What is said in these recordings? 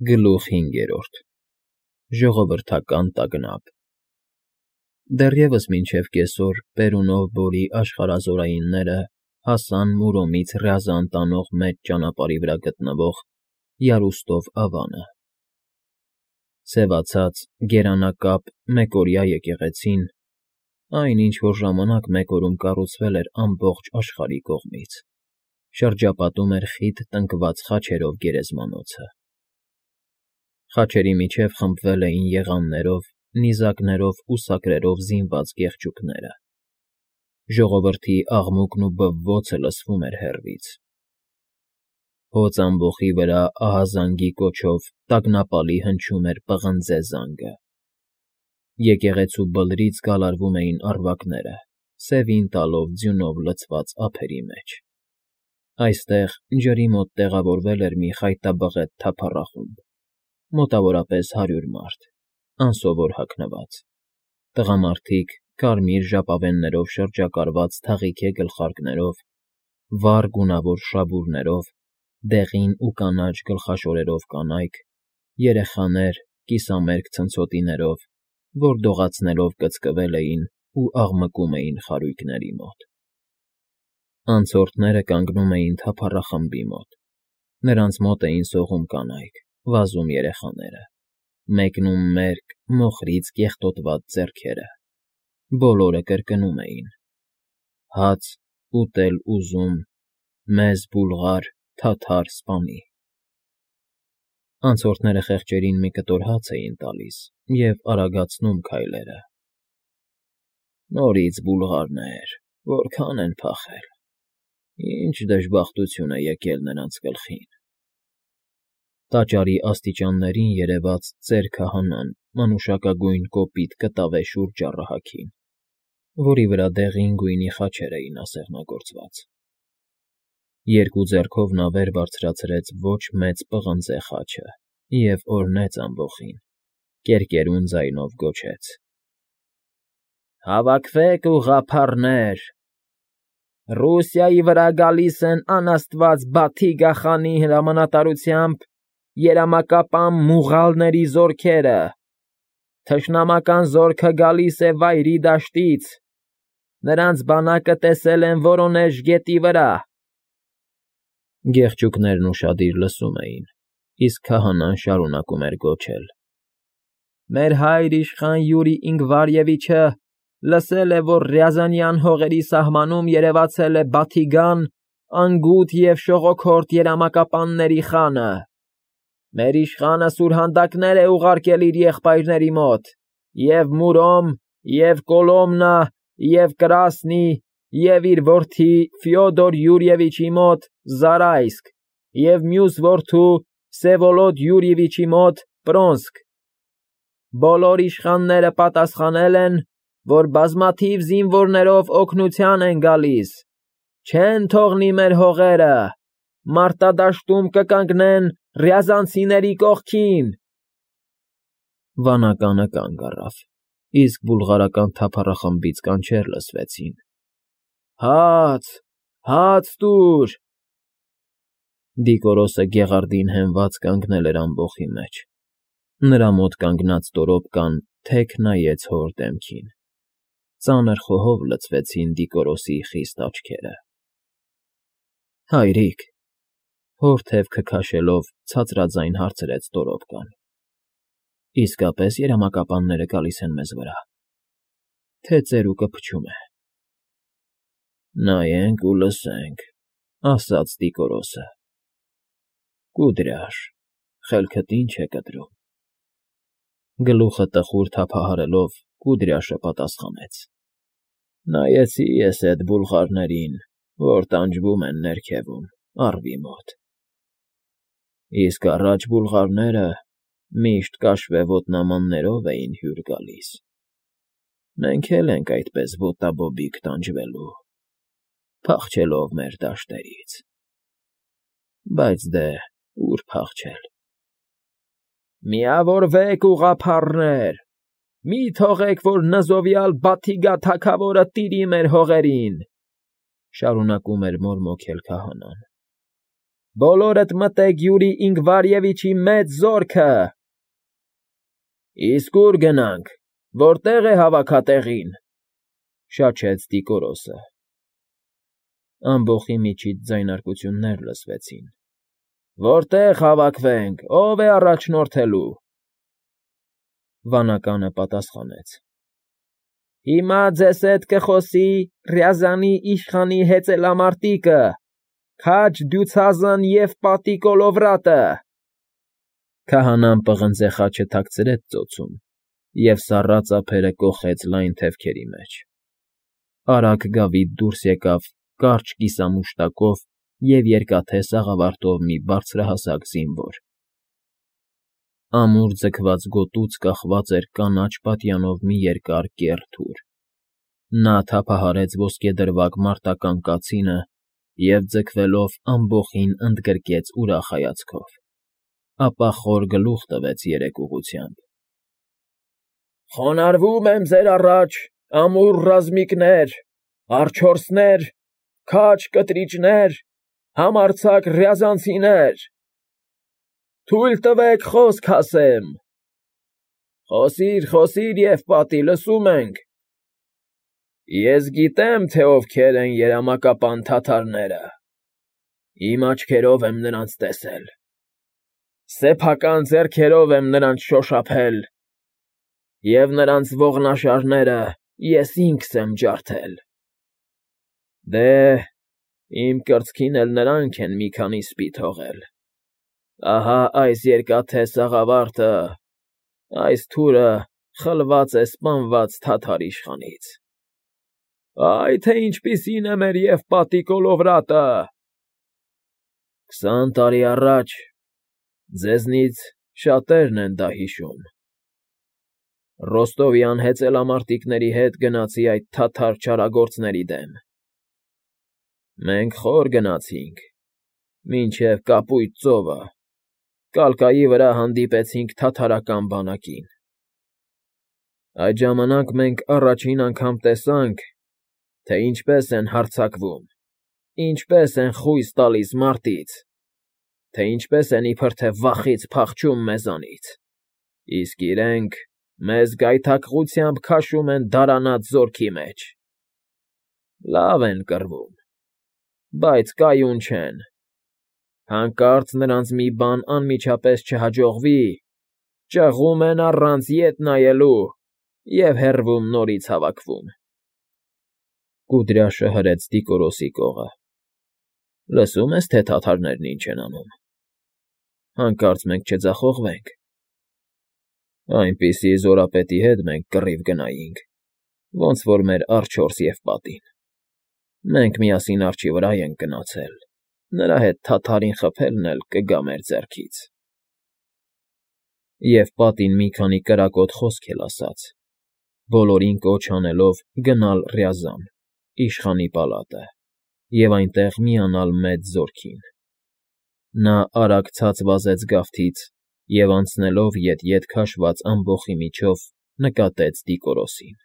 Գլուխ 5 Ժողովրդական տագնապ Դեռևս մինչև կեսօր Պերունով Բորի աշխարհազորայինները հասան Մուրոմից Ռյազան տանող մեծ ճանապարհի վրա գտնվող Յարուստով ավանը. սևացած, գերանակապ, մեկօրյա եկեղեցին, այն, ինչ որ ժամանակ մեկօրում կառուցվել էր ամբողջ աշխարհի կողմից, շրջապատում էր խիտ տնկված խաչերով գերեզմանոցը. խաչերի միջև խմբվել էին եղաններով, նիզակներով ու սակրերով զինված կեղճուկները. ժողովրդի աղմուկն ու բվոցը լսվում էր հեռվից. հոծ ամբոխի վրա ահազանգի կոչով տագնապալի հնչում էր պղնձե զանգը. եկեղեցու բլրից գալարվում էին առվակները, սևին տալով ձյունով լցված ափերի մեջ. այստեղ ջրի մոտ տեղավորվել էր մի խայտաբղետ թափառախումբ, մոտավորապես 100 մարդ, անսովոր հագնված, տղամարդիկ կարմիր ժապավեններով շրջակառված թաղիքե գլխարկներով, վառ գունավոր շաբուրներով, դեղին ու կանաչ գլխաշորերով կանայք, երեխաներ կիսամերկ ցնցոտիներով, որ դողացնելով կծկվել էին ու աղմկում էին խարույկների մոտ. անցորդները կանգնում էին թափառախմբի մոտ, նրանց մոտ էին սողում կանայք, վազում երեխաները, մեկնում մերկ, մոխրից կեղտոտված ձեռքերը, բոլորը կրկնում էին. հաց ուտել ուզում, մեզ բուլղար, թաթար սպանի. անցորդները խեղճերին մի կտոր հաց էին տալիս և արագացնում քայլերը. նորից բուլղարներ, որքան են փախել, ինչ դժբախտություն է եկել նրանց գլխին. տաճարի աստիճաններին երևաց ծեր քահանան մանուշակագույն կոպիտ կտավե շուրջ առահագին, որի վրա դեղին գույնի խաչեր էին ասեղնագործված. երկու ձեռքով նա վեր բարձրացրեց ոչ մեծ պղնձե խաչը և օրհնեց ամբոխին, կերկերուն ձայնով գոչեց. «Հավաքվեք, ուղղափառներ, Ռուսիայի վրա գալիս են անաստված Բաթիգա խանի հրամանատարությամբ երամակապան մուղալների զորքերը, թշնամական զորքը գալիս է Վայրի դաշտից, նրանց բանակը տեսել են Վորոնեժ գետի վրա»։ Գեղչուկներն ուշադիր լսում էին, իսկ քահանան շարունակում էր գոչել. «Մեր հայր իշխան Յուրի Ինգվարևիչը լսել է, որ Ռյազանյան հողերի սահմանում երևացել է Բաթիգան, անգութ և շողոքորթ երամակապանների խանը. մեր իշխանը սուրհանդակներ է ուղարկել իր եղբայրների մոտ, և Մուրոմ, և Կոլոմնա, և Կրասնի, և իր որդի Ֆյոդոր Յուրիևիչի մոտ Զարայսկ, և մյուս որդու Վսևոլոդ Յուրիևիչի մոտ Պրոնսկ. բոլոր իշխանները պատասխանել են, որ բազմաթիվ զինվորներով օգնության են գալիս, չեն թողնի մեր հողերը, մարտադաշտում կկանգնեն ռյազանցիների կողքին»։ Վանականը կանգ առավ, իսկ բուլղարական թափառախմբից կանչեր լսվեցին. «Հաց, հաց տուր»։ Դիկորոսը գեղարդին հենված կանգնել էր ամբոխի մեջ, նրա մոտ կանգնած տորոպկան թեք նայեց հոր դեմքին, ծանր խոհով լցվեցին Դիկորոսի խիստ աչքերը. «Հայրիկ», հոր թևքը քաշելով ցածրաձայն հարցրեց տորոպկան, «իսկապես երամակապանները գալիս են մեզ վրա, թե ծերուկը փչում է»։ «Նայենք ու լսենք», ասաց Դիկորոսը։ «Կուդրյաշ, խելքդ ի՞նչ է կտրում»։ Գլուխը տխուր թափահարելով Կուդրյաշը պատասխանեց. «Նայեցի ես էդ բուլղարներին, որ տանջվում են ներքևում, առվի մոտ, իսկ առաջ բուլղարները միշտ կաշվե ոտնամաններով էին հյուր գալիս, մենք էլ ենք այդպես ոտաբոբիկ տանջվելու, փախչելով մեր դաշտերից, բայց դե ուր փախչել»։ «Միավորվեք, ուղղափառներ, մի թողեք, որ նզովյալ Բաթիգա թագավորը տիրի մեր հողերին», շարունակում էր մորմոքել քահանան։ բոլորդ մտեք Յուրի Ինգվարևիչի մեծ զորքը։ Իսկ ուր գնանք, որտեղ է հավաքատեղին, շաչեց Դիկորոսը։ Ամբոխի միջից ձայնարկություններ լսվեցին։ Որտեղ հավաքվենք, ով է առաջնորդելու։ Վանականը պատասխանեց. Հիմա ձեզ հետ կխոսի Ռյազանի իշխանի հեծելամարտիկը, Քաջ Դյուցազն և պատի Կոլովրատը։ Քահանան պղնձե խաչը թաքցրեց ծոցում և սառած ափերը կոխեց լայն թևքերի մեջ։ Արագ գավիթ դուրս եկավ կարճ կիսամուշտակով և երկաթե սաղավարտով մի բարձրահասակ զինվոր։ Ամուր ձգված գոտուց կախված էր կանաչ պատյանով մի երկար կեռ թուր։ Նա թափահարեց ոսկեդրվագ մարտական կացինը և ձգվելով ամբոխին ընդգրկեց ուրախ հայացքով, ապա խոր գլուխ տվեց երեք ուղղությամբ. Խոնարհվում եմ ձեր առաջ, ամուր ռազմիկներ, արջորսներ, քաջ կտրիճներ, համարձակ ռյազանցիներ, թույլ տվեք խոսք ասեմ։ Խոսիր, Եվպատի, լսում ենք։ Ես գիտեմ, թե ովքեր են երամակապան թաթարները, իմ աչքերով եմ նրանց տեսել, սեփական ձեռքերով եմ նրանց շոշափել, և նրանց ողնաշարները ես ինքս եմ ջարդել։ Դե, իմ կրծքին էլ նրանք են մի քանի սպի թողել։ Ահա այս երկաթե սաղավարտը, այս թուրը խլված է սպանված թաթար իշխանից։ Այ թե ինչպիսին է մեր Եվպատի Կոլովրատը։ 20 տարի առաջ ձեզնից շատերն են դա հիշում։ Ռոստովյան հեծելամարտիկների հետ գնացի այդ թաթար չարագործների դեմ։ Մենք խոր գնացինք, մինչև Կապույտ ծովը, կալկայի վրա հանդիպեցինք թաթարական բանակին։ Այդ ժամանակ մենք առաջին անգամ տեսանք, թե ինչպես են հարձակվում, ինչպես են խույս տալիս մարտից, թե ինչպես են իբր թե վախից փախչում մեզանից, իսկ իրենք մեզ գայթակղությամբ քաշում են դարանած զորքի մեջ։ Լավ են կռվում, բայց կայուն չեն։ Հանկարծ նրանց մի բան անմիջապես չհաջողվի, ճղում են առանց ետ նայելու և հեռվում նորից հավաքվում։ Կուդրյաշը հրեց Դիկորոսի կողը։ Լսում ես, թե թաթարներն ինչ են անում։ Հանկարծ մենք չձախողվենք։ Այնպիսի զորապետի հետ մենք կռիվ գնայինք, ոնց որ մեր արջորս Եվպատին։ Մենք միասին արջի վրա ենք գնացել, նրա հետ թաթարին խփելն էլ կգա մեր ձեռքից։ Եվպատին մի քանի կրակոտ խոսք էլ ասաց, բոլորին կոչ անելով գնալ Ռյազան, իշխանի պալատը, և այնտեղ միանալ մեծ զորքին։ Նա արագ ցած վազեց գավթից և անցնելով ետ քաշված ամբոխի միջով նկատեց Դիկորոսին։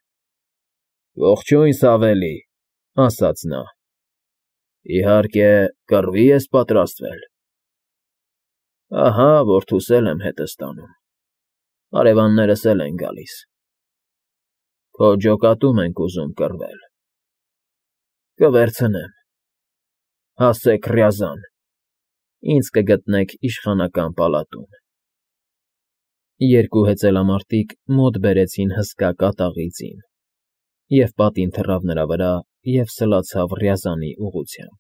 Ողջույն, Սավելի, ասաց նա։ Իհարկե, կռվի ես պատրաստվել։ Ահա, որդուս էլ եմ հետս տանում, հարևաններս էլ են գալիս։ Քո ջոկատում ենք ուզում կռվել։ Կվերցնեմ։ Հասեք Ռյազան, ինձ կգտնեք իշխանական պալատում։ Երկու հեծելամարտիկ մոտ բերեցին հսկա կատաղի ձին, և պատին թռավ նրա վրա և սլացավ Ռյազանի ուղղությամբ։